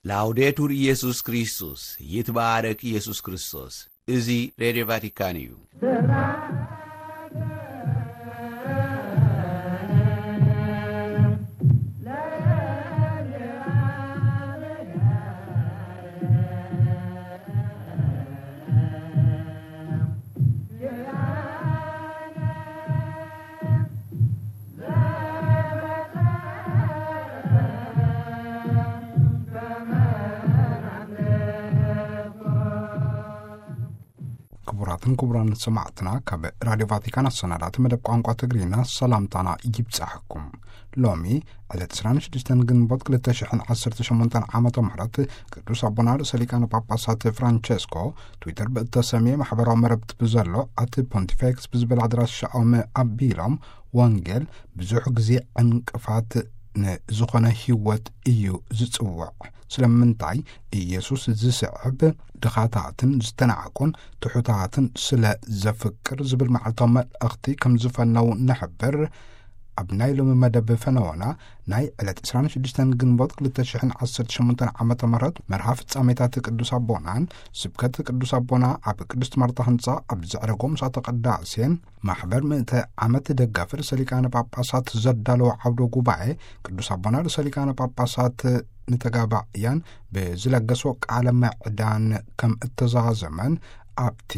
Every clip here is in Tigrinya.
ላውዴቱር ኢየሱስ ክርስቶስ፣ ይትባረክ ኢየሱስ ክርስቶስ። እዚ ሬድዮ ቫቲካን እዩ። ክቡራትን ክቡራን ሰማዕትና፣ ካብ ራድዮ ቫቲካን ኣሰናዳእቲ መደብ ቋንቋ ትግርኛ ሰላምታና ይብጻሕኩም። ሎሚ ዕለት ዕስራን ሽዱሽተን ግንቦት ክልተ ሽሕን ዓሰርተ ሸሞንተን ዓመተ ምህረት ቅዱስ ኣቦና ርእሰ ሊቃነ ጳጳሳት ፍራንቸስኮ ትዊተር ብእተሰምየ ማሕበራዊ መረብቲ ብዘሎ ኣቲ ፖንቲፌክስ ብዝብል ኣድራሻኦም ኣቢሎም፣ ወንጌል ብዙሕ ግዜ ዕንቅፋት ንዝኾነ ህይወት እዩ ዝጽውዕ። ስለምንታይ? ኢየሱስ ዝስዕብ ድኻታትን ዝተናዕቁን ትሑታትን ስለ ዘፍቅር ዝብል መዓልታዊ መልእኽቲ ከም ዝፈነው ንሕብር። ኣብ ናይ ሎሚ መደብ ፈነወና ናይ ዕለት ዕስራን ሽዱሽተን ግንቦት ክልተ ሽሕን ዓሰርተ ሸሞንተን ዓመተ ምህረት መርሃ ፍጻሜታት ቅዱስ ኣቦናን ስብከት ቅዱስ ኣቦና ኣብ ቅድስት ማርታ ህንጻ ኣብ ዘዕረጎ ምሳተ ቅዳሴን ማሕበር ምእተ ዓመት ደጋፊ ርእሰ ሊቃነ ጳጳሳት ዘዳለዎ ዓውደ ጉባኤ ቅዱስ ኣቦና ርእሰ ሊቃነ ጳጳሳት ንተጋባእያን ብዝለገሶ ቃለ ምዕዳን ከም እተዛዘመን ኣብቲ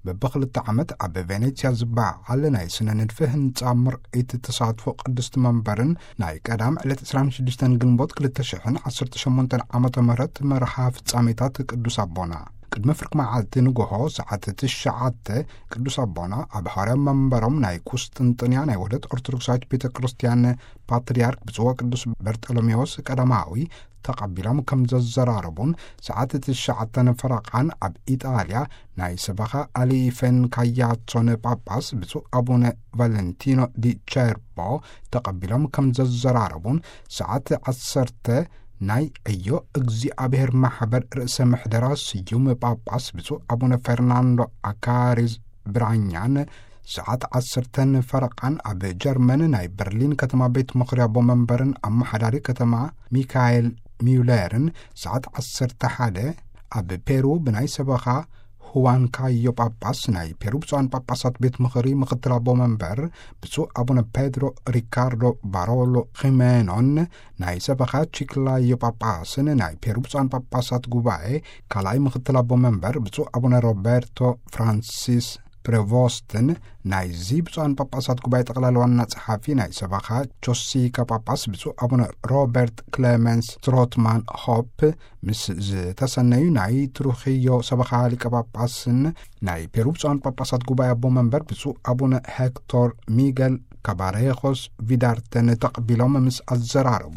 በብኽልተ ዓመት ኣብ ቬኔትስያ ዝበዓል ናይ ስነ ንድፊ ህንጻ ምርኢት ተሳትፎ ቅድስቲ መንበርን ናይ ቀዳም ዕለት ዕስራን ሽዱሽተን ግንቦት ክልተ ሽሕን ዓሰርተ ሸሞንተን ዓመተ ምህረት መርሃ ፍጻሜታት ቅዱስ ኣቦና ቅድሚ ፍርቂ መዓልቲ ንግሆ ሰዓት ትሽዓተ ቅዱስ ኣቦና ኣብ ሃዋርያዊ መንበሮም ናይ ቁስጥንጥንያ ናይ ውህደት ኦርቶዶክሳዊት ቤተ ክርስቲያን ፓትርያርክ ብፁዕ ወቅዱስ በርጠሎሜዎስ ቀዳማዊ ተቐቢሎም ከም ዘዘራረቡን፣ ሰዓት ትሽዓተ ፈረቓን ኣብ ኢጣልያ ናይ ሰበኻ ኣሊፈን ካያሶን ጳጳስ ብፁዕ ኣቡነ ቫለንቲኖ ዲ ቸርቦ ተቐቢሎም ከም ዘዘራረቡን፣ ሰዓት ዓሰርተ ናይ ዕዮ እግዚኣብሔር ማሕበር ርእሰ ምሕደራ ስዩም ጳጳስ ብፁዕ ኣቡነ ፈርናንዶ ኣካሪዝ ብራኛን፣ ሰዓት ዓሰርተን ፈረቓን ኣብ ጀርመን ናይ በርሊን ከተማ ቤት ምኽሪ ኣቦ መንበርን ኣመሓዳሪ ከተማ ሚካኤል ሚውለርን፣ ሰዓት ዓሰርተ ሓደ ኣብ ፔሩ ብናይ ሰበኻ ሁዋን ካዮ ጳጳስ ናይ ፔሩ ብፁዓን ጳጳሳት ቤት ምኽሪ ምኽትል ኣቦ መንበር ብፁዕ ኣቡነ ፔድሮ ሪካርዶ ባሮሎ ኺሜኖን ናይ ሰበኻ ቺክላዮ ጳጳስን ናይ ፔሩ ብፁዓን ጳጳሳት ጉባኤ ካልኣይ ምኽትል ኣቦ መንበር ብፁዕ ኣቡነ ሮበርቶ ፍራንሲስ ፕሬቮስትን ናይዚ ብፁዓን ጳጳሳት ጉባኤ ጠቕላሊ ዋና ጸሓፊ ናይ ሰበኻ ቾሲካ ጳጳስ ብፁዕ ኣቡነ ሮበርት ክሌመንስ ትሮትማን ሆፕ ምስ ዝተሰነዩ ናይ ትሩኽዮ ሰበኻ ሊቀ ጳጳስን ናይ ፔሩ ብፁዓን ጳጳሳት ጉባኤ ኣቦ መንበር ብፁዕ ኣቡነ ሄክቶር ሚገል ካባሬኾስ ቪዳርተን ተቐቢሎም ምስ ኣዘራረቡ፣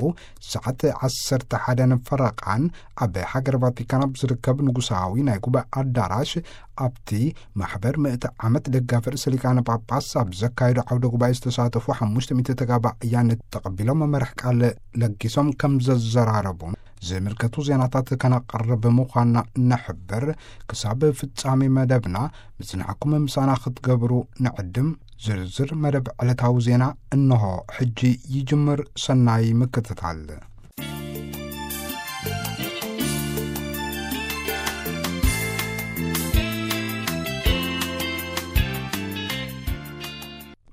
ሰዓት ዓሰርተ ሓደን ፈረቓን ኣብ ሃገር ቫቲካን ኣብ ዝርከብ ንጉሳዊ ናይ ጉባኤ ኣዳራሽ ኣብቲ ማሕበር ምእቲ ዓመት ደጋፊ ርእሰ ሊቃነ ጳጳስ ኣብ ዘካየዶ ዓውደ ጉባኤ ዝተሳተፉ ሓሙሽተ ሚእቲ ተጋባእያን ተቐቢሎም መመርሕ ቃል ለጊሶም ከም ዘዘራረቡን ዝምልከቱ ዜናታት ከነቕርብ ምዃንና ነሕብር። ክሳብ ፍጻሜ መደብና ምጽናዕኩም ምሳና ክትገብሩ ንዕድም። ዝርዝር መደብ ዕለታዊ ዜና እንሆ ሕጂ ይጅምር። ሰናይ ምክትታል።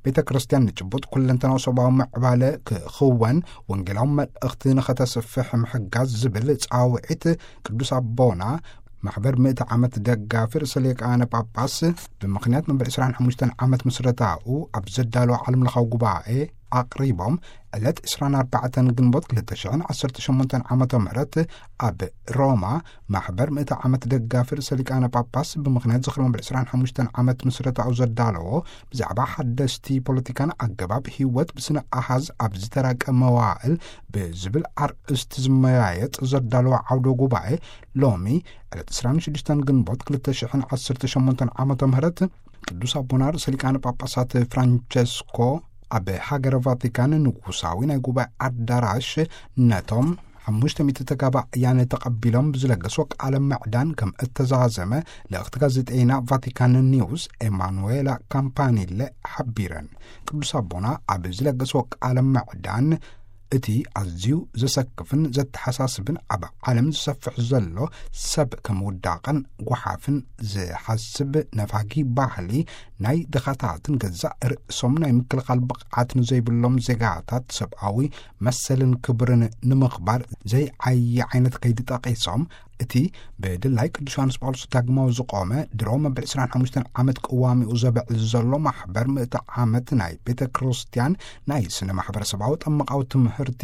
ቤተ ክርስቲያን ንጭቡጥ ኩለንተናዊ ሰብኣዊ ምዕባለ ክኽወን ወንጌላዊ መልእኽቲ ንኸተስፍሕ ምሕጋዝ ዝብል ጻውዒት ቅዱስ ኣቦና ማሕበር ምእቲ ዓመት ደጋፊ ርእሰ ሊቃነ ጳጳስ ብምኽንያት መበል ዕስራን ሓሙሽተን ዓመት ምስረታኡ ኣብ ዘዳለወ ዓለምለኻዊ ጉባኤ ኣቕሪቦም፣ ዕለት ዕስራን ኣርባዕተን ግንቦት ክልተ ሽሕን ዓሰርተ ሸሞንተን ዓመተ ምህረት ኣብ ሮማ ማሕበር ምእቲ ዓመት ደጋፊ ርእሰ ሊቃነ ጳጳስ ብምኽንያት ዝኽሪ መበል ዕስራን ሓሙሽተን ዓመት ምስረታኡ ዘዳለዎ ብዛዕባ ሓደስቲ ፖለቲካን ኣገባብ ህይወት ብስነ ኣሃዝ ኣብ ዝተራቀ መዋእል ብዝብል ኣርእስቲ ዝመያየጥ ዘዳለዎ ዓውደ ጉባኤ ሎሚ ዕለት ዕስራን ሽዱሽተን ግንቦት ክልተ ሽሕን ዓሰርተ ሸሞንተን ዓመተ ምህረት ቅዱስ ኣቦና ርእሰ ሊቃነ ጳጳሳት ፍራንቸስኮ ኣብ ሃገረ ቫቲካን ንጉሳዊ ናይ ጉባኤ ኣዳራሽ ነቶም ሓሙሽተ ሚእቲ ተጋባእያን ተቐቢሎም ብዝለገስዎ ቃለ ምዕዳን ከም እተዛዘመ ልእኽቲ ጋዜጠይና ቫቲካን ኒውስ ኤማኑዌላ ካምፓኒለ ሓቢረን። ቅዱስ ኣቦና ኣብ ዝለገስዎ ቃለ ምዕዳን እቲ ኣዝዩ ዘሰክፍን ዘተሓሳስብን ኣብ ዓለም ዝሰፍሕ ዘሎ ሰብ ከም ውዳቕን ጓሓፍን ዝሓስብ ነፋጊ ባህሊ ናይ ድኻታትን ገዛእ ርእሶም ናይ ምክልኻል ብቕዓት ንዘይብሎም ዜጋታት ሰብኣዊ መሰልን ክብርን ንምኽባር ዘይዓዪ ዓይነት ከይዲ ጠቒሶም፣ እቲ ብድላይ ቅዱስ ዮሃንስ ጳውሎስ ዳግማዊ ዝቖመ ድሮ መበል ዕስራን ሓሙሽተን ዓመት ቅዋሚኡ ዘብዕል ዘሎ ማሕበር ምእቲ ዓመት ናይ ቤተ ክርስቲያን ናይ ስነ ማሕበረሰባዊ ጠመቃዊ ትምህርቲ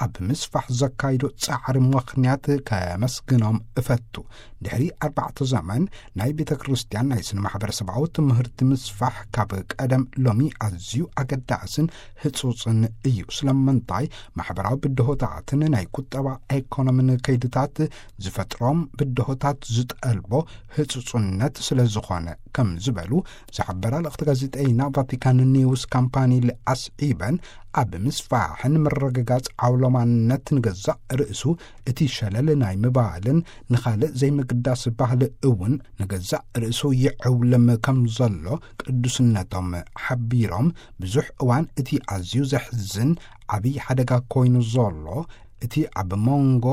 ኣብ ምስፋሕ ዘካይዶ ጻዕሪ ምኽንያት ከመስግኖም እፈቱ። ድሕሪ ኣርባዕተ ዘመን ናይ ቤተ ክርስቲያን ናይ ስነ ማሕበረሰባዊ ትምህርቲ ምስፋሕ ካብ ቀደም ሎሚ ኣዝዩ ኣገዳስን ህጹጽን እዩ። ስለምንታይ? ማሕበራዊ ብድሆታትን ናይ ቁጠባ ኢኮኖምን ከይድታት ዝፈጥሮም ብድሆታት ዝጠልቦ ህጹጽነት ስለ ዝኾነ፣ ከም ዝበሉ ዝሓበራ ልእኽቲ ጋዜጠይና ቫቲካን ኒውስ ካምፓኒ ኣስዒበን፣ ኣብ ምስፋሕን ምርግጋጽ ዓውሎማነት ንገዛእ ርእሱ እቲ ሸለል ናይ ምባልን ንኻልእ ዘይምግዳስ ባህሊ እውን ንገዛእ ርእሱ ይዕውልም ከም ዘሎ ቅዱስነቶም ሓቢሮም፣ ብዙሕ እዋን እቲ ኣዝዩ ዘሕዝን ዓብዪ ሓደጋ ኮይኑ ዘሎ እቲ ኣብ መንጎ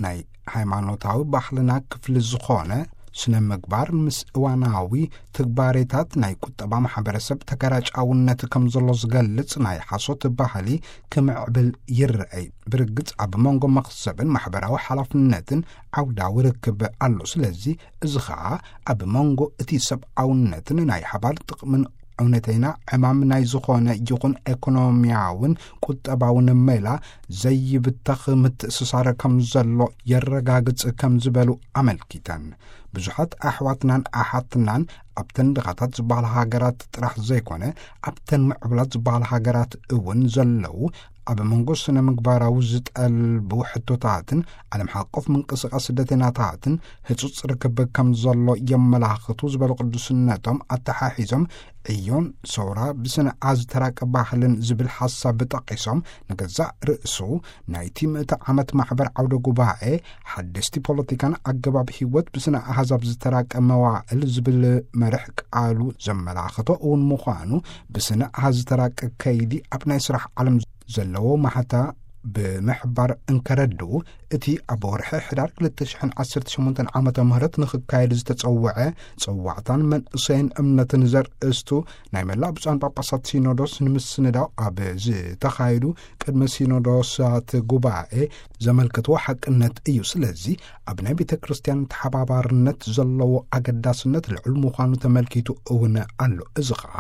ናይ ሃይማኖታዊ ባህልና ክፍሊ ዝኾነ ስነ ምግባር ምስ እዋናዊ ትግባሬታት ናይ ቁጠባ ማሕበረሰብ ተገራጫውነት ከም ዘሎ ዝገልጽ ናይ ሓሶት ባህሊ ክምዕብል ይረኣይ። ብርግጽ ኣብ መንጎ መኽሰብን ማሕበራዊ ሓላፍነትን ዓውዳዊ ርክብ ኣሎ። ስለዚ እዚ ኸኣ ኣብ መንጎ እቲ ሰብኣውነትን ናይ ሓባር ጥቕምን እውነተይና ዕማም ናይ ዝኾነ ይኹን ኤኮኖሚያውን ቁጠባውን ሜላ ዘይብተኽ ምትእስሳር ከም ዘሎ የረጋግጽ ከም ዝበሉ ኣመልኪተን። ብዙሓት ኣሕዋትናን ኣሓትናን ኣብተን ድኻታት ዝበሃላ ሃገራት ጥራሕ ዘይኮነ፣ ኣብተን ምዕቡላት ዝበሃላ ሃገራት እውን ዘለዉ፣ ኣብ መንጎ ስነ ምግባራዊ ዝጠልቡ ሕቶታትን ዓለም ሓቆፍ ምንቅስቃስ ስደተኛታትን ህጹጽ ርክብ ከም ዘሎ የመላኽቱ ዝበሉ ቅዱስነቶም ኣተሓሒዞም፣ ዕዮን ሰውራ ብስነ ኣዝተራቀ ባህልን ዝብል ሓሳብ ጠቒሶም፣ ንገዛእ ርእሱ ናይቲ ምእቲ ዓመት ማሕበር ዓውደ ጉባኤ ሓደስቲ ፖለቲካን ኣገባብ ህይወት ብስነ ኣሃዛብ ዝተራቀ መዋእል ዝብል መርሕ ቃሉ ዘመላኽቶ እውን ምዃኑ፣ ብስነ ኣሃዝ ዝተራቀ ከይዲ ኣብ ናይ ስራሕ ዓለም ዘለዎ ማሕታ ብምሕባር እንከረድኡ፣ እቲ ኣብ ወርሒ ሕዳር ክልተ ሽሕን ዓሰርተ ሸሞንተን ዓመተ ምህረት ንኽካየድ ዝተጸውዐ ጽዋዕታን መንእሰይን እምነትን ዘርእስቱ ናይ መላእ ብፁዓን ጳጳሳት ሲኖዶስ ንምስንዳው ኣብ ዝተኻየዱ ቅድመ ሲኖዶሳት ጉባኤ ዘመልከትዎ ሓቅነት እዩ። ስለዚ ኣብ ናይ ቤተ ክርስቲያን ተሓባባርነት ዘለዎ ኣገዳስነት ልዑል ምዃኑ ተመልኪቱ እውን ኣሎ። እዚ ኸኣ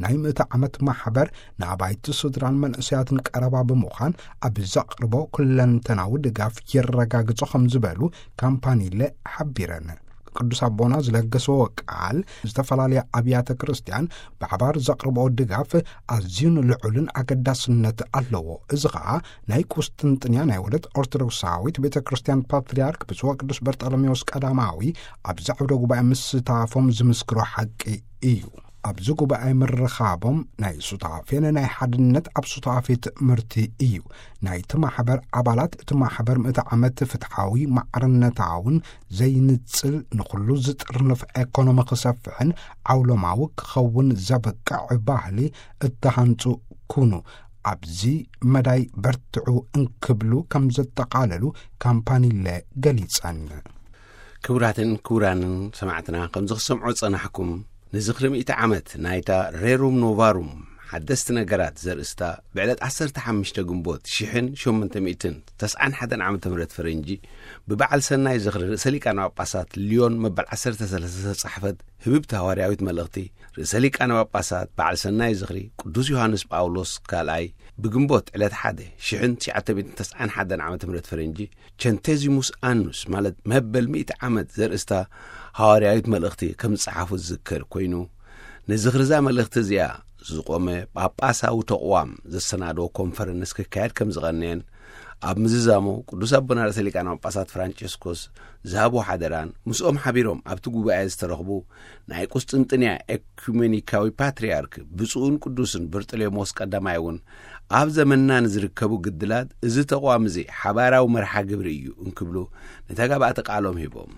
ናይ ምእቲ ዓመት ማሕበር ንኣባይቲ ስድራን መንእሰያትን ቀረባ ብምዃን ኣብ ዘቕርቦ ኩለንተናዊ ድጋፍ የረጋግጾ ከም ዝበሉ ካምፓኒለ ሓቢረን። ቅዱስ ኣቦና ዝለገስዎ ቃል ዝተፈላለያ ኣብያተ ክርስቲያን ብሓባር ዘቕርብኦ ድጋፍ ኣዝዩን ልዑልን ኣገዳስነት ኣለዎ። እዚ ኸኣ ናይ ቁስጥንጥንያ ናይ ወደት ኦርቶዶክሳዊት ቤተ ክርስቲያን ፓትርያርክ ብፁዕ ቅዱስ በርጠሎሜዎስ ቀዳማዊ ኣብዚ ዓውደ ጉባኤ ምስታፎም ዝምስክሮ ሓቂ እዩ። ኣብዚ ጉባኤ ምርኻቦም ናይ ሱታፌን ናይ ሓድነት ኣብ ሱታፌ ትእምርቲ እዩ። ናይቲ ማሕበር ኣባላት እቲ ማሕበር ምእቲ ዓመት ፍትሓዊ፣ ማዕርነታውን ዘይንጽል፣ ንኹሉ ዝጥርንፍ ኤኮኖሚ ክሰፍሕን ዓውሎማዊ ክኸውን ዘበቅዕ ባህሊ እተሃንጹ ኩኑ፣ ኣብዚ መዳይ በርትዑ እንክብሉ ከም ዘጠቓለሉ ካምፓኒለ ገሊጸን። ክቡራትን ክቡራንን ሰማዕትና፣ ከምዚ ክሰምዖ ዝጸናሕኩም፣ ንዝኽሪ ሚእቲ ዓመት ናይታ ሬሩም ኖቫሩም ሓደስቲ ነገራት ዘርእስታ ብዕለት ዓሰርተ ሓሙሽተ ግንቦት ሽሕን ሸሞንተ ሚእትን ተስዓን ሓደን ዓመተ ምህረት ፈረንጂ ብበዓል ሰናይ ዝኽሪ ርእሰ ሊቃነ ጳጳሳት ሊዮን መበል ዓሰርተ ሰለስተ ዝተጻሕፈት ህብብቲ ሃዋርያዊት መልእኽቲ ርእሰ ሊቃነ ጳጳሳት በዓል ሰናይ ዝኽሪ ቅዱስ ዮሃንስ ጳውሎስ ካልኣይ ብግንቦት ዕለት ሓደ ሽሕን ትሽዓተ ሚእትን ተስዓን ሓደን ዓመተ ምህረት ፈረንጂ ቸንቴዚሙስ ኣኑስ ማለት መበል ሚእቲ ዓመት ዘርእስታ ሃዋርያዊት መልእኽቲ ከም ዝጸሓፉ ዝዝከር ኮይኑ፣ ንዝኽሪ እዛ መልእኽቲ እዚኣ ዝቖመ ጳጳሳዊ ተቕዋም ዘሰናድኦ ኮንፈረንስ ክካየድ ከም ዝቐነየን፣ ኣብ ምዝዛሙ ቅዱስ ኣቦና ርእሰ ሊቃነ ጳጳሳት ፍራንቸስኮስ ዝሃብዎ ሓደራን ምስኦም ሓቢሮም ኣብቲ ጉባኤ ዝተረኽቡ ናይ ቁስጥንጥንያ ኤኩሜኒካዊ ፓትርያርክ ብፁዕን ቅዱስን በርጠሌሞስ ቀዳማይ እውን ኣብ ዘመንና ንዝርከቡ ግድላት እዚ ተቕዋም እዚ ሓባራዊ መርሓ ግብሪ እዩ እንክብሉ ንተጋባእቲ ቃሎም ሂቦም።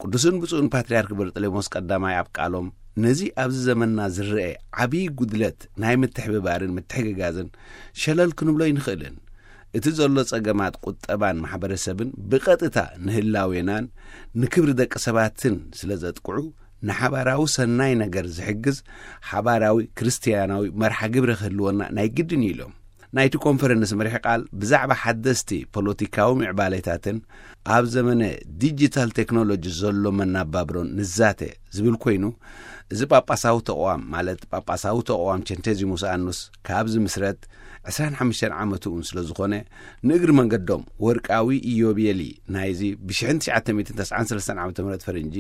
ቅዱስን ብፁዕን ፓትርያርክ በርጠሌሞስ ቀዳማይ ኣብ ቃሎም፣ ነዚ ኣብዚ ዘመንና ዝረአ ዓብዪ ጉድለት ናይ ምትሕብባርን ምትሕግጋዝን ሸለል ክንብሎ ኣይንኽእልን። እቲ ዘሎ ጸገማት ቁጠባን ማሕበረሰብን ብቐጥታ ንህላዌናን ንክብሪ ደቂ ሰባትን ስለ ዘጥቅዑ፣ ንሓባራዊ ሰናይ ነገር ዝሕግዝ ሓባራዊ ክርስትያናዊ መርሓ ግብሪ ክህልወና ናይ ግድን እዩ ኢሎም። ናይቲ ኮንፈረንስ መሪሕ ቃል ብዛዕባ ሓደስቲ ፖለቲካዊ ምዕባሌታትን ኣብ ዘመነ ዲጂታል ቴክኖሎጂ ዘሎ መናባብሮን ንዛተ ዝብል ኮይኑ፣ እዚ ጳጳሳዊ ተቕዋም፣ ማለት ጳጳሳዊ ተቕዋም ቸንቴዚሙስ ኣኑስ ካብ ዝምስረት ዕስራን ሓሙሽተን ዓመቱ እውን ስለ ዝኾነ፣ ንእግሪ መንገዶም ወርቃዊ ኢዮቤሊ ናይዚ ብ ሽሕን ትሽዓተ ሚእትን ተስዓን ሰለስተን ዓመተ ምህረት ፈረንጂ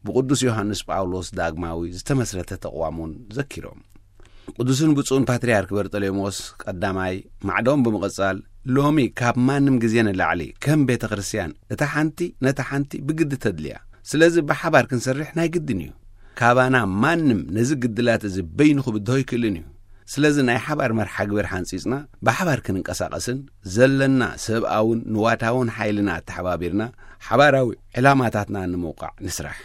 ብቅዱስ ዮሃንስ ጳውሎስ ዳግማዊ ዝተመስረተ ተቕዋም እውን ዘኪሮም። ቅዱስን ብፁዕን ፓትርያርክ በርጠሌሞስ ቀዳማይ ማዕዶም ብምቕጻል፣ ሎሚ ካብ ማንም ግዜ ንላዕሊ ከም ቤተ ክርስቲያን እታ ሓንቲ ነታ ሓንቲ ብግዲ ተድልያ። ስለዚ ብሓባር ክንሰርሕ ናይ ግድን እዩ። ካባና ማንም ነዚ ግድላት እዚ በይኑ ክብድሆ ኣይክእልን እዩ። ስለዚ ናይ ሓባር መርሓ ግብር ሓንጺጽና ብሓባር ክንንቀሳቐስን ዘለና ሰብኣውን ንዋታውን ሓይልና ኣተሓባቢርና ሓባራዊ ዕላማታትና ንምውቃዕ ንስራሕ።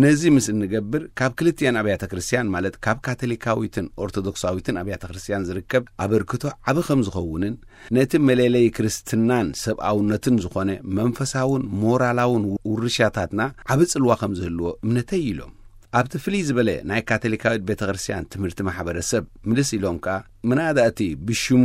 ነዚ ምስ እንገብር ካብ ክልቲኣን ኣብያተ ክርስቲያን፣ ማለት ካብ ካቶሊካዊትን ኦርቶዶክሳዊትን ኣብያተ ክርስቲያን ዝርከብ ኣበርክቶ ዓቢ ከም ዝኸውንን ነቲ መለለይ ክርስትናን ሰብኣውነትን ዝኾነ መንፈሳውን ሞራላውን ውርሻታትና ዓቢ ጽልዋ ከም ዝህልዎ እምነተይ ኢሎም። ኣብቲ ፍልይ ዝበለ ናይ ካቶሊካዊት ቤተ ክርስቲያን ትምህርቲ ማሕበረሰብ ምልስ ኢሎም ከኣ፣ ምናዳ እቲ ብሽሙ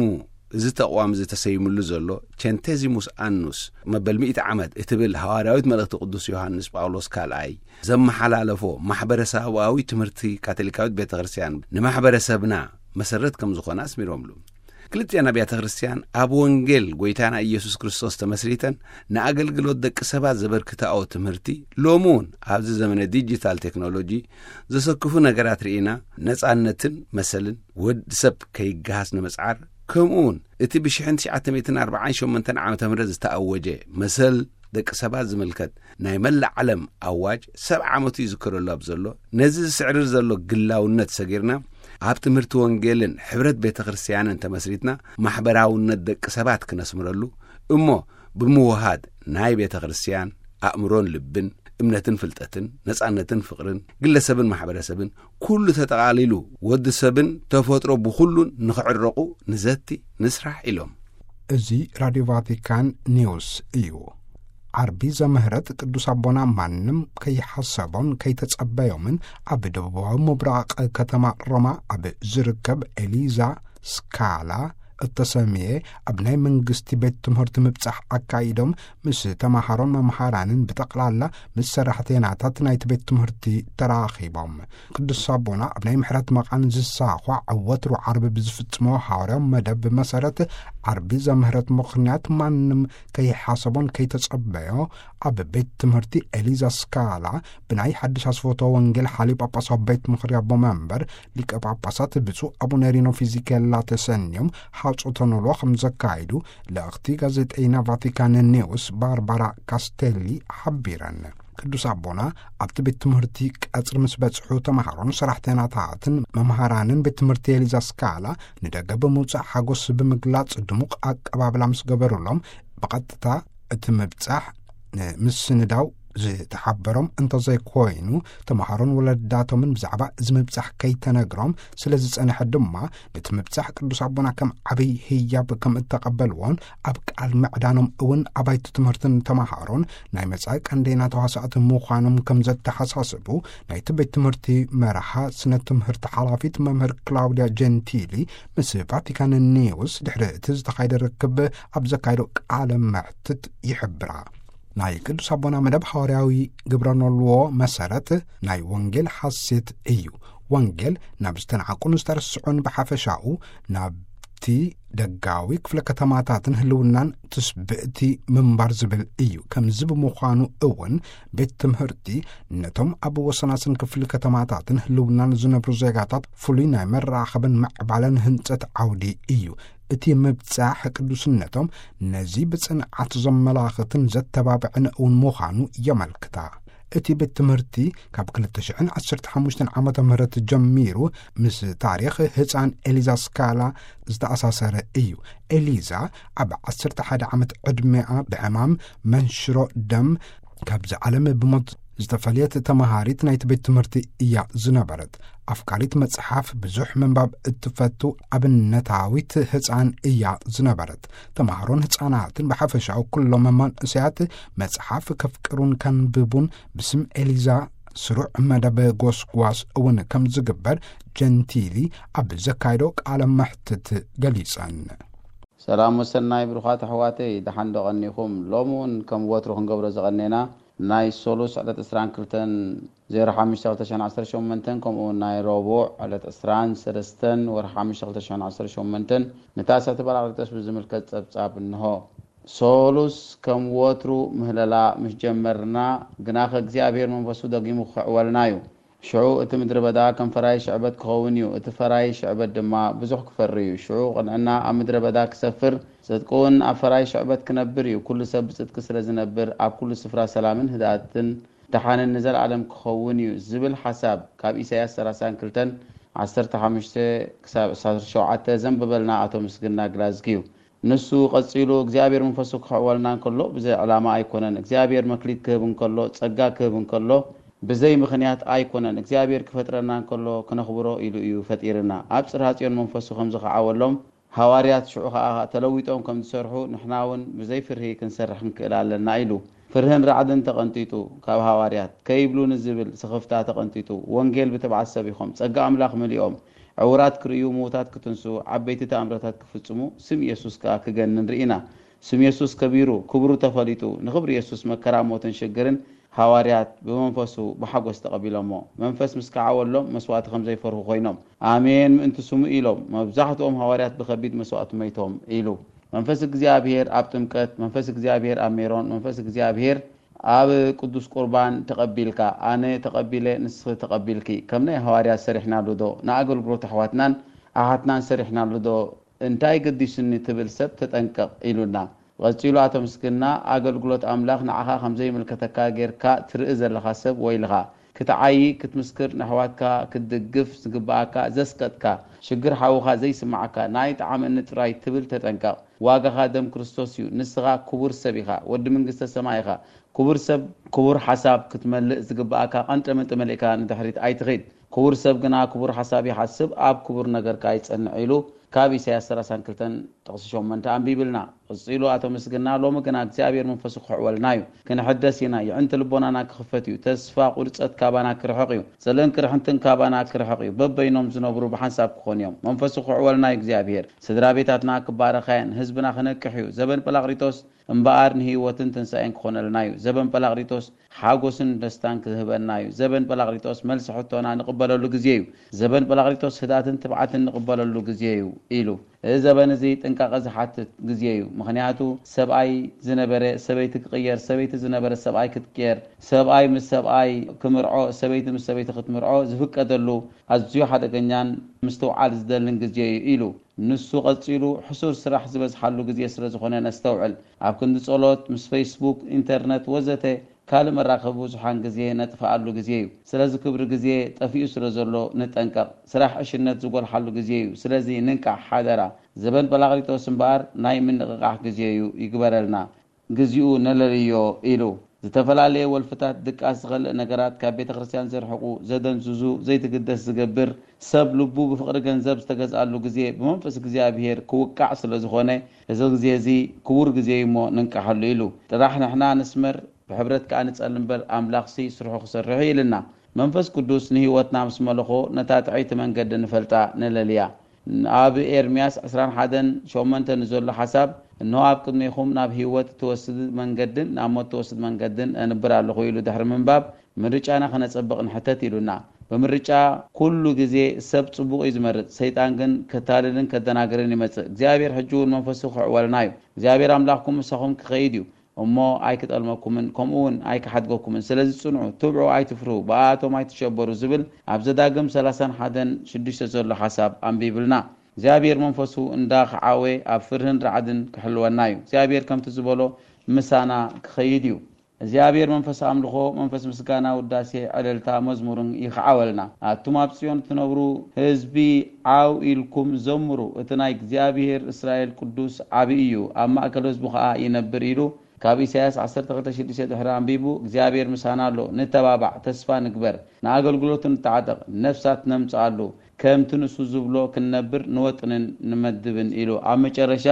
እዚ ተቕዋም እዚ ተሰይምሉ ዘሎ ቸንቴዚሙስ ኣኑስ መበል ሚእቲ ዓመት እትብል ሃዋርያዊት መልእኽቲ ቅዱስ ዮሃንስ ጳውሎስ ካልኣይ ዘመሓላለፎ ማሕበረሰባዊ ትምህርቲ ካቶሊካዊት ቤተ ክርስቲያን ንማሕበረሰብና መሰረት ከም ዝኾነ ኣስሚሮምሉ። ክልቲኣን ኣብያተ ክርስቲያን ኣብ ወንጌል ጎይታና ኢየሱስ ክርስቶስ ተመስሪተን ንኣገልግሎት ደቂ ሰባት ዘበርክታኦ ትምህርቲ ሎሚ እውን ኣብዚ ዘመነ ዲጂታል ቴክኖሎጂ ዘሰክፉ ነገራት ርኢና ነጻነትን መሰልን ወዲ ሰብ ከይገሃስ ንምጽዓር፣ ከምኡ እውን እቲ ብ ሽሕን ትሽዓተ ሚእትን ኣርባዓን ሸሞንተን ዓመተ ምህረት ዝተኣወጀ መሰል ደቂ ሰባት ዝምልከት ናይ መላእ ዓለም ኣዋጅ ሰብዓ ዓመቱ ይዝከረሉ ኣብ ዘሎ፣ ነዚ ዝስዕርር ዘሎ ግላውነት ሰጊርና፣ ኣብ ትምህርቲ ወንጌልን ሕብረት ቤተ ክርስቲያንን ተመስሪትና፣ ማሕበራውነት ደቂ ሰባት ክነስምረሉ እሞ፣ ብምውሃድ ናይ ቤተ ክርስቲያን ኣእምሮን ልብን፣ እምነትን ፍልጠትን፣ ነጻነትን ፍቕርን፣ ግለሰብን ማሕበረሰብን፣ ኩሉ ተጠቓሊሉ ወዲ ሰብን ተፈጥሮ ብኹሉን ንኽዕረቑ ንዘቲ፣ ንስራሕ ኢሎም። እዚ ራድዮ ቫቲካን ኒውስ እዩ። ዓርቢ ዘምህረት ቅዱስ ኣቦና ማንም ከይሓሰቦን ከይተጸበዮምን ኣብ ደቡባዊ ምብራቕ ከተማ ሮማ ኣብ ዝርከብ ኤሊዛ ስካላ እተሰምየ ኣብ ናይ መንግስቲ ቤት ትምህርቲ ምብጻሕ ኣካይዶም ምስ ተማሃሮን መምሃራንን ብጠቕላላ ምስ ሰራሕተናታት ናይቲ ቤት ትምህርቲ ተራኺቦም። ቅዱስ ኣቦና ኣብ ናይ ምሕረት መቓን ዝሳዃዕ ወትሩ ዓርቢ ብዝፍጽሞ ሃዋርያዊ መደብ መሰረት ዓርቢ ዘምህረት ምኽንያት ማንም ከይሓሰቦን ከይተጸበዮ ኣብ ቤት ትምህርቲ ኤሊዛ ስካላ ብናይ ሓድሽ ኣስፎቶ ወንጌል ሓሊ ጳጳሳዊ ቤት ምኽሪ ኣቦ መንበር ሊቀ ጳጳሳት ብፁዕ ኣቡነ ሪኖ ፊዚኬላ ተሰንዮም ሓጾተ ኖልዋ ከም ዘካይዱ ልእኽቲ ጋዜጠይና ቫቲካን ኒውስ ባርባራ ካስቴሊ ሓቢረን። ቅዱስ ኣቦና ኣብቲ ቤት ትምህርቲ ቀጽሪ ምስ በጽሑ ተማሃሮን ሰራሕተናታትን መምሃራንን ቤት ትምህርቲ ኤሊዛ ስካላ ንደገ ብምውጻእ ሓጎስ ብምግላጽ ድሙቕ ኣቀባብላ ምስ ገበሩሎም ብቐጥታ እቲ ምብጻሕ ንምስንዳው ዝተሓበሮም እንተዘይኮይኑ፣ ተምሃሮን ወለዳቶምን ብዛዕባ እዚ ምብጻሕ ከይተነግሮም ስለ ዝጸንሐ ድማ፣ ነቲ ምብጻሕ ቅዱስ ኣቦና ከም ዓብይ ህያብ ከም እተቐበልዎን ኣብ ቃል ምዕዳኖም እውን ኣባይቲ ትምህርትን ተምሃሮን ናይ መጻኢ ቀንደይና ተዋሳእቲ ምዃኖም ከም ዘተሓሳስቡ ናይቲ ቤት ትምህርቲ መርሓ ስነ ትምህርቲ ሓላፊት መምህር ክላውድያ ጀንቲሊ ምስ ቫቲካን ኒውስ ድሕሪ እቲ ዝተኻየደ ርክብ ኣብ ዘካየዶ ቃለ መሕትት ይሕብራ። ናይ ቅዱስ ኣቦና መደብ ሃዋርያዊ ግብረ ኖልዎ መሰረት ናይ ወንጌል ሓሴት እዩ። ወንጌል ናብ ዝተናዕቁን ዝተረስዑን ብሓፈሻኡ ናብቲ ደጋዊ ክፍለ ከተማታትን ህልውናን ትስብእቲ ምንባር ዝብል እዩ። ከምዚ ብምዃኑ እውን ቤት ትምህርቲ ነቶም ኣብ ወሰናስን ክፍሊ ከተማታትን ህልውናን ዝነብሩ ዜጋታት ፍሉይ ናይ መራኸብን ምዕባለን ህንጸት ዓውዲ እዩ። እቲ ምብጻሕ ቅዱስነቶም ነዚ ብጽንዓት ዘመላኽትን ዘተባብዕን እውን ምዃኑ የመልክታ። እቲ ቤት ትምህርቲ ካብ ክልተ ሽሕን ዓሰርተ ሓሙሽተን ዓመተ ምህረት ጀሚሩ ምስ ታሪኽ ህጻን ኤሊዛ ስካላ ዝተኣሳሰረ እዩ። ኤሊዛ ኣብ ዓሰርተ ሓደ ዓመት ዕድሜኣ ብዕማም መንሽሮ ደም ካብዚ ዓለም ብሞት ዝተፈልየት ተመሃሪት ናይቲ ቤት ትምህርቲ እያ ዝነበረት። ኣፍቃሪት መጽሓፍ፣ ብዙሕ ምንባብ እትፈቱ ኣብነታዊት ህፃን እያ ዝነበረት። ተምሃሮን ህፃናትን ብሓፈሻው ኩሎም መንእሰያት መጽሓፍ ከፍቅሩን ከንብቡን ብስም ኤሊዛ ስሩዕ መደብ ጎስጓስ እውን ከም ዝግበር ጀንቲሊ ኣብ ዘካየዶ ቃለ መሕትት ገሊጸን። ሰላም ወሰናይ ብሩኻት ኣሕዋተይ፣ ደሓን ዶ ቀኒኹም? ሎሚ እውን ከም ወትሩ ክንገብሮ ዝቐኔና ናይ ሶሉስ ዕለት ዕስራን ክልተን ዜሮ ሓሙሽተ ክልተ ሽሕን ዓሰርተ ሸሞንተን ከምኡ እውን ናይ ረቡዕ ዕለት ዕስራን ሰለስተን ወርሒ ሓሙሽተ ክልተ ሽሕን ዓሰርተ ሸሞንተን ንታሰቲ በራቅሊጦስ ብዝምልከት ጸብጻብ እንሆ። ሶሉስ ከም ወትሩ ምህለላ ምስ ጀመርና ግናኸ እግዚኣብሔር መንፈሱ ደጊሙ ክኽዕወልና እዩ። ሽዑ እቲ ምድረ በዳ ከም ፈራይ ሽዕበት ክኸውን እዩ፣ እቲ ፈራይ ሽዕበት ድማ ብዙሕ ክፈሪ እዩ። ሽዑ ቅንዕና ኣብ ምድረ በዳ ክሰፍር፣ ጽድቂ እውን ኣብ ፈራይ ሽዕበት ክነብር እዩ። ኩሉ ሰብ ብጽድቂ ስለ ዝነብር ኣብ ኩሉ ስፍራ ሰላምን ህድኣትን ደሓንን ንዘለኣለም ክኸውን እዩ ዝብል ሓሳብ ካብ ኢሳያስ ሰላሳን ክልተን ዓሰርተ ሓሙሽተ ክሳብ ዕስራን ሸውዓተን ዘንበበልና ኣቶ ምስግና ግላዝጊ እዩ። ንሱ ቀጺሉ እግዚኣብሔር መንፈሱ ክኽዕወልና እንከሎ ብዘይ ዕላማ ኣይኮነን። እግዚኣብሔር መክሊት ክህብ እንከሎ፣ ጸጋ ክህብ እንከሎ ብዘይ ምኽንያት ኣይኮነን። እግዚኣብሔር ክፈጥረና እንከሎ ክነኽብሮ ኢሉ እዩ ፈጢርና። ኣብ ጽርሃ ጽዮን መንፈሱ ከም ዝኸዓወሎም ሃዋርያት ሽዑ ኸኣ ተለዊጦም ከም ዝሰርሑ ንሕና እውን ብዘይ ፍርሂ ክንሰርሕ ክንክእል ኣለና ኢሉ። ፍርህን ራዕድን ተቐንጢጡ ካብ ሃዋርያት፣ ከይብሉ ንዝብል ስኽፍታ ተቐንጢጡ፣ ወንጌል ብትብዓት ሰቢኾም፣ ጸጋ ኣምላኽ መሊኦም፣ ዕውራት ክርእዩ፣ ምዉታት ክትንስኡ፣ ዓበይቲ ተኣምረታት ክፍጽሙ፣ ስም ኢየሱስ ከኣ ክገንን ርኢና። ስም ኢየሱስ ከቢሩ፣ ክብሩ ተፈሊጡ፣ ንኽብሪ ኢየሱስ መከራ፣ ሞትን ሽግርን ሃዋርያት ብመንፈሱ ብሓጎስ ተቐቢሎሞ። መንፈስ ምስ ከዓወሎም መስዋእቲ ከም ዘይፈርሁ ኮይኖም፣ ኣሜን ምእንቲ ስሙ ኢሎም። መብዛሕትኦም ሃዋርያት ብኸቢድ መስዋእቲ መይቶም ኢሉ። መንፈስ እግዚኣብሔር ኣብ ጥምቀት፣ መንፈስ እግዚኣብሔር ኣብ ሜሮን፣ መንፈስ እግዚኣብሔር ኣብ ቅዱስ ቁርባን ተቐቢልካ፣ ኣነ ተቐቢለ ንስኺ ተቐቢልኪ፣ ከም ናይ ሃዋርያት ሰሪሕናሉ ዶ? ንኣገልግሎት ኣሕዋትናን ኣሓትናን ሰሪሕናሉ ዶ? እንታይ ገዲሱኒ ትብል ሰብ ተጠንቀቕ ኢሉና። ቀጺሉ ኣቶ ምስግና፣ ኣገልግሎት ኣምላኽ ንዓኻ ከም ዘይምልከተካ ጌርካ ትርኢ ዘለኻ ሰብ ወይልኻ። ክትዓዪ፣ ክትምስክር፣ ንኣሕዋትካ ክትድግፍ ዝግብኣካ ዘስቀጥካ፣ ሽግር ሓውኻ ዘይስምዓካ፣ ንኣይ ጠዓመኒ ጥራይ ትብል ተጠንቀቕ። ዋጋኻ ደም ክርስቶስ እዩ። ንስኻ ክቡር ሰብ ኢኻ፣ ወዲ መንግስተ ሰማይ ኢኻ። ክቡር ሰብ ክቡር ሓሳብ ክትመልእ ዝግብኣካ ቀንጠመንጢ መሊእካ ንድሕሪት ኣይትኺድ። ክቡር ሰብ ግና ክቡር ሓሳብ ይሓስብ፣ ኣብ ክቡር ነገር ከኣ ይጸንዕ ኢሉ ካብ ኢሳያስ ሰላሳን ክልተን ጥቕሲ ሸሞንተ ኣንቢብልና። ቀጺሉ ኣቶ ምስግና፣ ሎሚ ግና እግዚኣብሔር መንፈሱ ክሕወልና እዩ። ክንሕደስ ኢና፣ የዕንቲ ልቦናና ክኽፈት እዩ። ተስፋ ቁርጸት ካባና ክርሕቕ እዩ። ጽልእን ቅርሕንትን ካባና ክርሕቕ እዩ። በበይኖም ዝነብሩ ብሓንሳብ ክኾኑ እዮም። መንፈሱ ክሕወልና እዩ እግዚኣብሔር። ስድራ ቤታትና ክባረኻ እየን። ህዝብና ክነቅሕ እዩ። ዘበን ጳራቅሊጦስ እምበኣር ንህይወትን ትንሳኤን ክኾነልና እዩ። ዘበን ጳራቅሊጦስ ሓጎስን ደስታን ክህበና እዩ። ዘበን ጳራቅሊጦስ መልሲ ሕቶና ንቕበለሉ ግዜ እዩ። ዘበን ጳራቅሊጦስ ህድኣትን ትብዓትን ንቕበለሉ ግዜ እዩ ኢሉ። እዚ ዘበን እዚ ጥንቃቐ ዝሓትት ግዜ እዩ። ምኽንያቱ ሰብኣይ ዝነበረ ሰበይቲ ክቕየር፣ ሰበይቲ ዝነበረ ሰብኣይ ክትቅየር፣ ሰብኣይ ምስ ሰብኣይ ክምርዖ፣ ሰበይቲ ምስ ሰበይቲ ክትምርዖ ዝፍቀደሉ ኣዝዩ ሓደገኛን ምስትውዓል ዝደልን ግዜ እዩ ኢሉ። ንሱ ቀጺሉ ሕሱር ስራሕ ዝበዝሓሉ ግዜ ስለ ዝኾነ ነስተውዕል። ኣብ ክንዲ ጸሎት፣ ምስ ፌስቡክ፣ ኢንተርነት ወዘተ ካልእ መራኸቢ ብዙሓን ግዜ ነጥፍኣሉ ግዜ እዩ። ስለዚ ክብሪ ግዜ ጠፊኡ ስለ ዘሎ ንጠንቀቕ። ስራሕ ዕሽነት ዝጎልሓሉ ግዜ እዩ። ስለዚ ንንቃሕ ሓደራ። ዘበን ጳራቅሊጦስ እምበኣር ናይ ምንቕቓሕ ግዜ እዩ ይግበረልና። ግዚኡ ነለልዮ ኢሉ። ዝተፈላለየ ወልፍታት ድቃስ ዝኸልእ ነገራት ካብ ቤተ ክርስቲያን ዘርሕቑ፣ ዘደንዝዙ፣ ዘይትግደስ ዝገብር፣ ሰብ ልቡ ብፍቕሪ ገንዘብ ዝተገዝኣሉ ግዜ ብመንፈስ እግዚኣብሔር ክውቃዕ ስለ ዝኾነ፣ እዚ ግዜ እዚ ክቡር ግዜ እዩ እሞ ንንቃሓሉ ኢሉ። ጥራሕ ንሕና ንስመር፣ ብሕብረት ከኣ ንጸሊ እምበር ኣምላኽሲ ስርሑ ክሰርሕ እዩ ኢልና። መንፈስ ቅዱስ ንህይወትና ምስ መለኾ ነታ ጥዕይቲ መንገዲ ንፈልጣ ነለልያ። ኣብ ኤርምያስ ዕስራን ሓደን ሸሞንተ ንዘሎ ሓሳብ፣ እንሆ ኣብ ቅድሜኹም ናብ ህይወት እትወስድ መንገድን ናብ ሞት እትወስድ መንገድን እንብር ኣለኹ ኢሉ ድሕሪ ምንባብ፣ ምርጫና ከነጸብቕ ንሕተት ኢሉና። ብምርጫ ኩሉ ግዜ ሰብ ጽቡቕ እዩ ዝመርጽ፣ ሰይጣን ግን ከታልልን ከደናግርን ይመጽእ። እግዚኣብሔር ሕጂ እውን መንፈሱ ክዕወልና እዩ። እግዚኣብሔር ኣምላኽኩም ምሳኹም ክኸይድ እዩ። እሞ ኣይክጠልመኩምን፣ ከምኡ እውን ኣይክሓድገኩምን። ስለዚ ጽንዑ፣ ትብዑ፣ ኣይትፍርሁ፣ ብኣኣቶም ኣይትሸበሩ ዝብል ኣብ ዘዳግም ሰላሳን ሓደን ሽዱሽተ ዘሎ ሓሳብ ኣንቢብልና። እግዚኣብሔር መንፈሱ እንዳ ኸዓወ ኣብ ፍርህን ራዕድን ክሕልወና እዩ። እግዚኣብሔር ከምቲ ዝበሎ ምሳና ክኸይድ እዩ። እግዚኣብሔር መንፈስ ኣምልኾ፣ መንፈስ ምስጋና፣ ውዳሴ፣ ዕልልታ፣ መዝሙርን ይኽዓወልና። ኣቱም ኣብ ጽዮን እትነብሩ ህዝቢ ዓው ኢልኩም ዘምሩ፣ እቲ ናይ እግዚኣብሔር እስራኤል ቅዱስ ዓቢ እዩ፣ ኣብ ማእከል ህዝቡ ኸኣ ይነብር ኢሉ ካብ ኢሳያስ ዓሰርተ ክልተ ሽዱሽተ ድሕሪ ኣንቢቡ እግዚኣብሔር ምሳና ኣሎ፣ ንተባባዕ፣ ተስፋ ንግበር፣ ንኣገልግሎቱ ንተዓጠቕ፣ ነፍሳት ነምጽኣሉ፣ ከምቲ ንሱ ዝብሎ ክንነብር ንወጥንን ንመድብን ኢሉ ኣብ መጨረሻ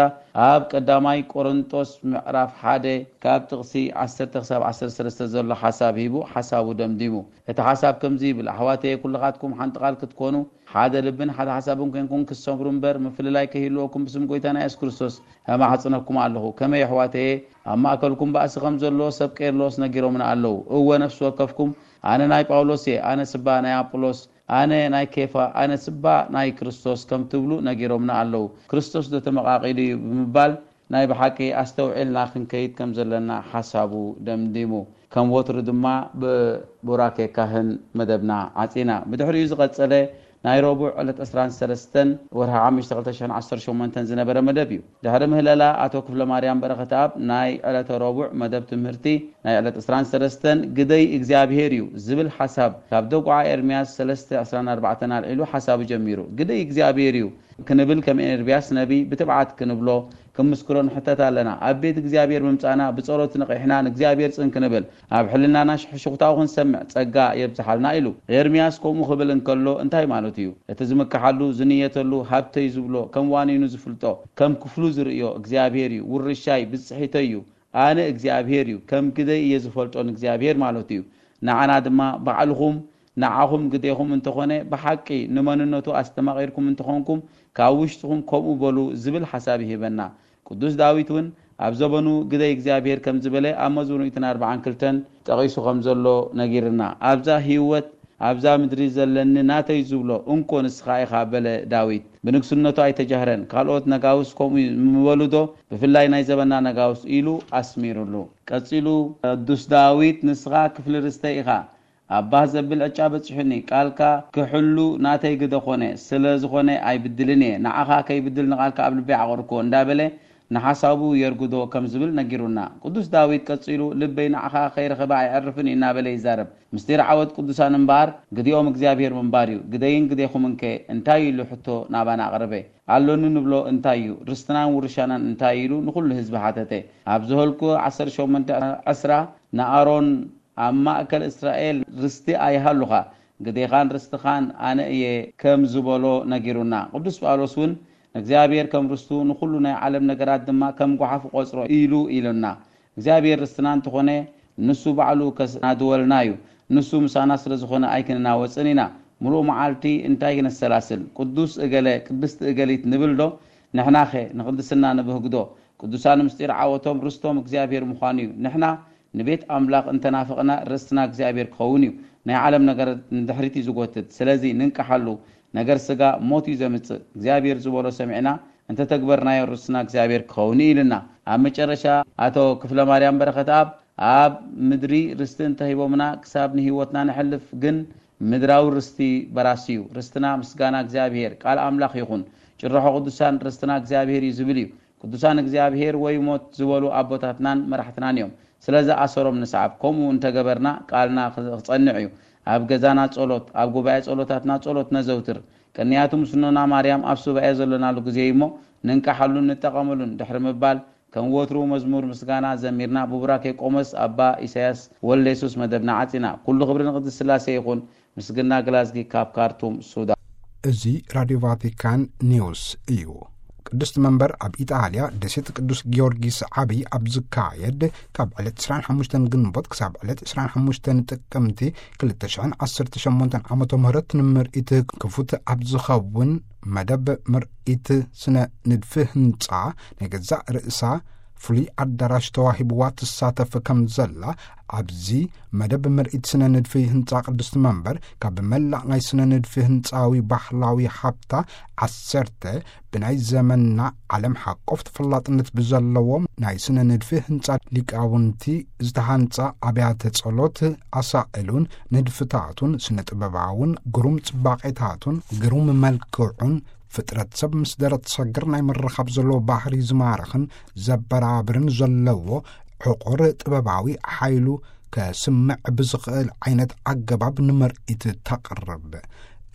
ኣብ ቀዳማይ ቆሮንጦስ ምዕራፍ ሓደ ካብ ጥቕሲ ዓሰርተ ክሳብ ዓሰርተ ሰለስተ ዘሎ ሓሳብ ሂቡ ሓሳቡ ደምዲሙ። እቲ ሓሳብ ከምዚ ይብል፣ ኣሕዋተየ ኩልኻትኩም ሓንቲ ቃል ክትኮኑ ሓደ ልብን ሓደ ሓሳብን ኮንኩም ክትሰምሩ እምበር ምፍልላይ ከይህልወኩም ብስም ጎይታና የሱስ ክርስቶስ እማሕጽነኩም ኣለኹ። ከመይ ኣሕዋተየ ኣብ ማእከልኩም ባእሲ ከም ዘሎ ሰብ ቄርሎስ ነጊሮምና ኣለዉ። እወ ነፍሲ ወከፍኩም ኣነ ናይ ጳውሎስ እየ፣ ኣነ ስባ ናይ ኣጵሎስ፣ ኣነ ናይ ኬፋ፣ ኣነ ስባ ናይ ክርስቶስ ከም ትብሉ ነጊሮምና ኣለዉ። ክርስቶስ ዶ ተመቓቒሉ እዩ ብምባል ናይ ብሓቂ ኣስተውዒልና ክንከይድ ከም ዘለና ሓሳቡ ደምዲሙ። ከም ወትሩ ድማ ብቡራኬ ካህን መደብና ዓጺና። ብድሕሪኡ ዝቐጸለ ናይ ረቡዕ ዕለት ዕስራን ሰለስተን ወርሒ ሓሙሽተ ክልተ ሽሕን ዓሰርተ ሸሞንተን ዝነበረ መደብ እዩ። ድሕሪ ምህለላ ኣቶ ክፍለ ማርያም በረኸተኣብ ናይ ዕለተ ረቡዕ መደብ ትምህርቲ ናይ ዕለት ዕስራን ሰለስተን ግደይ እግዚኣብሔር እዩ ዝብል ሓሳብ ካብ ደጉዓ ኤርምያስ ሰለስተ ዕስራን ኣርባዕተን ኣልዒሉ ሓሳቡ ጀሚሩ። ግደይ እግዚኣብሔር እዩ ክንብል ከም ኤርምያስ ነቢይ ብትብዓት ክንብሎ፣ ክንምስክሮ ንሕተት ኣለና። ኣብ ቤት እግዚኣብሔር ምምጻእና ብጸሎት ነቒሕና ንእግዚኣብሔር ጽን ክንብል፣ ኣብ ሕልናና ሽሕሽኽታኡ ክንሰምዕ ጸጋ የብዝሓልና ኢሉ። ኤርምያስ ከምኡ ክብል እንከሎ እንታይ ማለቱ እዩ? እቲ ዝምክሓሉ፣ ዝንየተሉ፣ ሃብተይ ዝብሎ፣ ከም ዋኒኑ ዝፍልጦ፣ ከም ክፍሉ ዝርእዮ እግዚኣብሔር እዩ። ውርሻይ፣ ብጽሒተይ እዩ። ኣነ እግዚኣብሔር እዩ፣ ከም ግደይ እየ ዝፈልጦ ንእግዚኣብሔር ማለቱ እዩ። ንዓና ድማ ባዕልኹም ንዓኹም ግዴኹም እንተኾነ፣ ብሓቂ ንመንነቱ ኣስተማቒርኩም እንተኾንኩም፣ ካብ ውሽጥኹም ከምኡ በሉ ዝብል ሓሳብ ይህበና። ቅዱስ ዳዊት እውን ኣብ ዘበኑ ግደይ እግዚኣብሔር ከም ዝበለ ኣብ መዝሙር ሚእትን ኣርባዓን ክልተን ጠቒሱ ከም ዘሎ ነጊርና። ኣብዛ ህይወት ኣብዛ ምድሪ ዘለኒ ናተይ ዝብሎ እንኮ ንስኻ ኢኻ በለ ዳዊት። ብንግስነቱ ኣይተጃህረን። ካልኦት ነጋውስ ከምኡ ምበሉ ዶ? ብፍላይ ናይ ዘበና ነጋውስ ኢሉ ኣስሚሩሉ። ቀጺሉ ቅዱስ ዳዊት ንስኻ ክፍሊ ርስተይ ኢኻ። ኣባህ ዘብል ዕጫ በጺሑኒ፣ ቃልካ ክሕሉ ናተይ ግደ ኾነ፣ ስለ ዝኾነ ኣይብድልን እየ። ንዓኻ ከይብድል ንቓልካ ኣብ ልበይ ዓቐርክዎ እንዳበለ ንሓሳቡ የርግዶ ከም ዝብል ነጊሩና። ቅዱስ ዳዊት ቀጺሉ ልበይ ንዓኻ ከይረኸበ ኣይዕርፍን እዩ እናበለ ይዛረብ። ምስጢር ዓወት ቅዱሳን እምበኣር ግዲኦም እግዚኣብሔር ምንባር እዩ። ግደይን ግዴኹምንከ እንታይ ኢሉ ሕቶ ናባና ኣቕረበ። ኣሎኒ ንብሎ እንታይ እዩ? ርስትናን ውርሻናን እንታይ ኢሉ ንኹሉ ህዝቢ ሓተተ። ኣብ ዘኍልቁ ዓሰርተ ሸሞንተ ዕስራ ንኣሮን ኣብ ማእከል እስራኤል ርስቲ ኣይሃሉኻ፣ ግዴኻን ርስትኻን ኣነ እየ ከም ዝበሎ ነጊሩና። ቅዱስ ጳውሎስ እውን ንእግዚኣብሔር ከም ርስቱ ንኹሉ ናይ ዓለም ነገራት ድማ ከም ጓሓፍ ቆጽሮ ኢሉ ኢሉና። እግዚኣብሔር ርስትና እንተኾነ ንሱ ባዕሉ ከስናድወልና እዩ። ንሱ ምሳና ስለ ዝኾነ ኣይክንናወጽን ኢና። ምሉእ መዓልቲ እንታይ ነሰላስል? ቅዱስ እገለ፣ ቅድስቲ እገሊት ንብል ዶ? ንሕናኸ ንቕድስና ንብህግ ዶ? ቅዱሳን ምስጢር ዓወቶም ርስቶም እግዚኣብሔር ምዃኑ እዩ። ንሕና ንቤት ኣምላኽ እንተናፍቕና ርስትና እግዚኣብሔር ክኸውን እዩ። ናይ ዓለም ነገር ንድሕሪት እዩ ዝጎትት። ስለዚ ንንቅሓሉ። ነገር ስጋ ሞት እዩ ዘምጽእ። እግዚኣብሔር ዝበሎ ሰሚዕና እንተተግበርናዮ ርስትና እግዚኣብሔር ክኸውን እዩ ኢልና። ኣብ መጨረሻ ኣቶ ክፍለ ማርያም በረኸት ኣብ ኣብ ምድሪ ርስቲ እንተሂቦምና ክሳብ ንህይወትና ንሕልፍ ግን ምድራዊ ርስቲ በራሲ እዩ። ርስትና ምስጋና እግዚኣብሔር ቃል ኣምላኽ ይኹን። ጭርሖ ቅዱሳን ርስትና እግዚኣብሔር እዩ ዝብል እዩ። ቅዱሳን እግዚኣብሔር ወይ ሞት ዝበሉ ኣቦታትናን መራሕትናን እዮም። ስለዚ ኣሰሮም ንስዓብ። ከምኡ እንተገበርና ቃልና ክጸንዕ እዩ። ኣብ ገዛና ጸሎት፣ ኣብ ጉባኤ ጸሎታትና ጸሎት ነዘውትር። ቅንያቱ ምስኖና ማርያም ኣብ ሱባኤ ዘለናሉ ግዜ እዩ እሞ ንንቃሓሉን ንጠቐመሉን ድሕሪ ምባል ከም ወትሩ መዝሙር ምስጋና ዘሚርና ብቡራኬ ቆሞስ ኣባ ኢሳያስ ወልደ የሱስ መደብና ዓጺና። ኩሉ ክብሪ ንቅድስት ስላሴ ይኹን። ምስግና ግላዝጊ ካብ ካርቱም ሱዳን። እዚ ራድዮ ቫቲካን ኒውስ እዩ። ቅድስቲ መንበር ኣብ ኢጣልያ ደሴት ቅዱስ ጊዮርጊስ ዓብዪ ኣብ ዝካየድ ካብ ዕለት ዕስራን ሓሙሽተን ግንቦት ክሳብ ዕለት ዕስራን ሓሙሽተን ጥቅምቲ ክልተ ሽሕን ዓሰርተ ሸሞንተን ዓመተ ምህረት ንምርኢት ክፉት ኣብ ዝኸውን መደብ ምርኢት ስነ ንድፊ ህንፃ ናይ ገዛእ ርእሳ ፍሉይ ኣዳራሽ ተዋሂብዋ ትሳተፍ ከም ዘላ ኣብዚ መደብ ምርኢት ስነ ንድፊ ህንፃ ቅድስቲ መንበር ካብ መላእ ናይ ስነ ንድፊ ህንፃዊ ባህላዊ ሃብታ ዓሰርተ ብናይ ዘመንና ዓለም ሓቆፍ ተፈላጥነት ብዘለዎም ናይ ስነ ንድፊ ህንፃ ሊቃውንቲ ዝተሃንፃ ኣብያተ ጸሎት ኣሳእሉን ንድፍታቱን ስነ ጥበባውን ግሩም ጽባቄታቱን ግሩም መልክዑን ፍጥረት ሰብ ምስ ደረት ሰግር ናይ ምርኻብ ዘለዎ ባህሪ ዝማርኽን ዘበራብርን ዘለዎ ዕቑር ጥበባዊ ሓይሉ ከስምዕ ብዝኽእል ዓይነት ኣገባብ ንምርኢት ተቕርብ።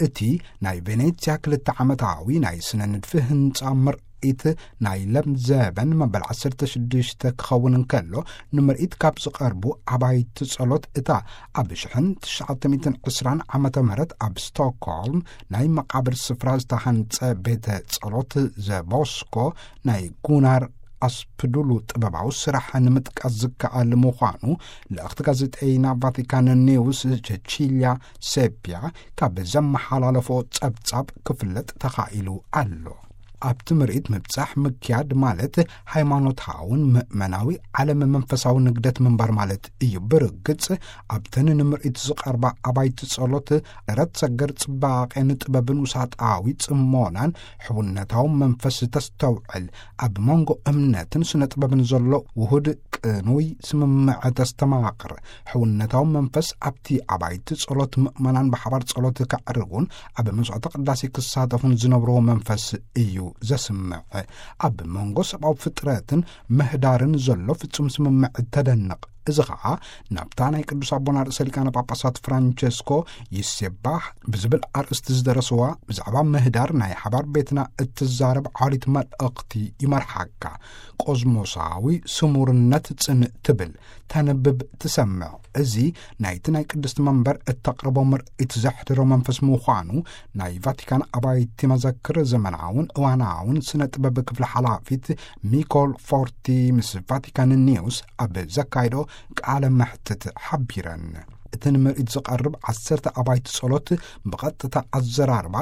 እቲ ናይ ቬኔትያ ክልተ ዓመታዊ ናይ ስነ ንድፊ ህንጻ ምርኢት ምርኢት ናይ ለምዘበን መበል ዓሰርተ ሽዱሽተ ክኸውን እንከሎ፣ ንምርኢት ካብ ዝቐርቡ ኣባይቲ ጸሎት እታ ኣብ ሽሕን ትሽዓተ ሚእትን ዕስራን ዓመተ ምህረት ኣብ ስቶክሆልም ናይ መቓብር ስፍራ ዝተሃንጸ ቤተ ጸሎት ዘቦስኮ ናይ ጉናር ኣስፕዱሉ ጥበባዊ ስራሕ ንምጥቃስ ዝከኣል ምዃኑ ልእኽቲ ጋዜጠይና ቫቲካን ኒውስ ቸቺልያ ሴፒያ ካብ ዘመሓላለፎ ጸብጻብ ክፍለጥ ተኻኢሉ ኣሎ። ኣብቲ ምርኢት ምብጻሕ ምክያድ ማለት ሃይማኖታውን ምእመናዊ ዓለም መንፈሳዊ ንግደት ምንባር ማለት እዩ። ብርግጽ ኣብተን ንምርኢት ዝቐርባ ኣባይቲ ጸሎት ደረት ሰገር ጽባቐን ጥበብን ውሳጣዊ ጽሞናን ሕውነታዊ መንፈስ ተስተውዕል። ኣብ መንጎ እምነትን ስነ ጥበብን ዘሎ ውሁድ ቅኑይ ስምምዕ ተስተማቕር። ሕውነታዊ መንፈስ ኣብቲ ኣባይቲ ጸሎት ምእመናን ብሓባር ጸሎት ከዕርጉን ኣብ መስዋዕተ ቅዳሴ ክሳተፉን ዝነብርዎ መንፈስ እዩ ዘስምዕ። ኣብ መንጎ ሰብኣዊ ፍጥረትን ምህዳርን ዘሎ ፍጹም ስምምዕ ተደንቕ። እዚ ኸኣ ናብታ ናይ ቅዱስ ኣቦና ርእሰ ሊቃነ ጳጳሳት ፍራንቸስኮ ይሴባህ ብዝብል ኣርእስቲ ዝደረስዋ ብዛዕባ ምህዳር ናይ ሓባር ቤትና እትዛረብ ዓሊት መልእኽቲ ይመርሓካ። ቆዝሞሳዊ ስሙርነት ጽንእ ትብል፣ ተንብብ፣ ትሰምዕ። እዚ ናይቲ ናይ ቅድስቲ መንበር እተቕርቦ ምርኢት ዘሕድሮ መንፈስ ምዃኑ ናይ ቫቲካን ኣባይቲ መዘክር ዘመናውን እዋናውን ስነ ጥበብ ክፍሊ ሓላፊት ሚኮል ፎርቲ ምስ ቫቲካን ኒውስ ኣብ ዘካይዶ ቃለ መሕትት ሓቢረን። እቲ ንምርኢት ዝቐርብ ዓሰርተ ኣባይቲ ጸሎት ብቐጥታ ኣዘራርባ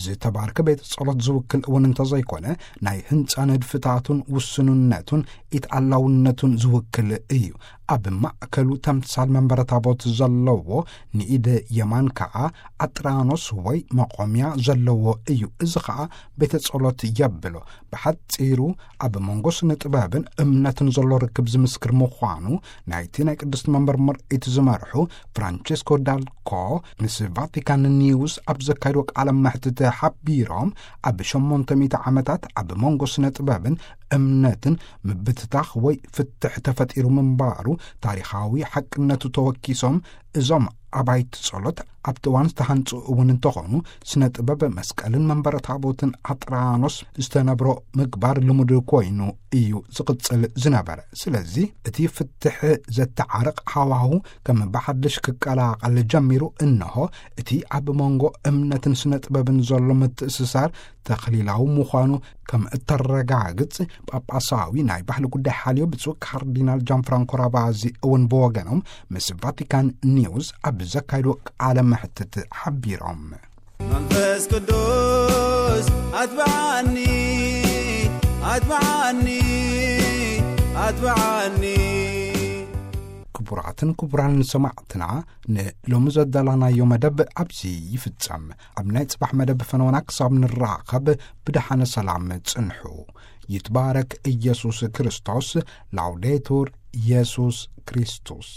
ዝተባርከ ቤት ጸሎት ዝውክል እውን እንተዘይኮነ፣ ናይ ህንጻ ንድፍታቱን ውስንነቱን ኢትኣላውነቱን ዝውክል እዩ። ኣብ ማእከሉ ተምሳል መንበረ ታቦት ዘለዎ፣ ንኢድ የማን ከኣ ኣጥራኖስ ወይ መቖምያ ዘለዎ እዩ። እዚ ኸኣ ቤተ ጸሎት የብሎ። ብሓጺሩ ኣብ መንጎ ስነ ጥበብን እምነትን ዘሎ ርክብ ዝምስክር ምዃኑ ናይቲ ናይ ቅድስቲ መንበር ምርኢት ዝመርሑ ፍራንቸስኮ ዳልኮ ምስ ቫቲካን ኒውስ ኣብ ዘካየድዎ ቃለ መሕትት ሓቢሮም፣ ኣብ ሸሞንተ ሚእቲ ዓመታት ኣብ መንጎ ስነ ጥበብን እምነትን ምብትታኽ ወይ ፍትሕ ተፈጢሩ ምንባሩ ታሪኻዊ ሓቅነቱ ተወኪሶም፣ እዞም ኣባይቲ ጸሎት ኣብቲ እዋን ዝተሃንጹ እውን እንተኾኑ፣ ስነ ጥበብ መስቀልን መንበረ ታቦትን ኣጥራኖስ ዝተነብሮ ምግባር ልሙድ ኮይኑ እዩ ዝቕጽል ዝነበረ። ስለዚ እቲ ፍትሕ ዘተዓርቕ ሃዋሁ ከም ብሓድሽ ክቀላቐል ጀሚሩ። እንሆ እቲ ኣብ መንጎ እምነትን ስነ ጥበብን ዘሎ ምትእስሳር ተኽሊላዊ ምዃኑ ከም እተረጋግጽ ጳጳሳዊ ናይ ባህሊ ጉዳይ ሓልዮ ብፁዕ ካርዲናል ጃን ፍራንኮ ራባዚ እውን ብወገኖም ምስ ቫቲካን ኒውስ ኣብ ዘካይዶ ቃለ መሕትት ሓቢሮም። መንፈስ ቅዱስ ኣትብዓኒ፣ ኣትብዓኒ፣ ኣትብዓኒ። ክቡራትን ክቡራን ሰማዕትና፣ ንሎሚ ዘዳላናዮ መደብ ኣብዚ ይፍጸም። ኣብ ናይ ጽባሕ መደብ ፈነወና ክሳብ ንራኸብ ብደሓነ ሰላም ጽንሑ። ይትባረክ ኢየሱስ ክርስቶስ። ላውዴቱር ኢየሱስ ክርስቶስ።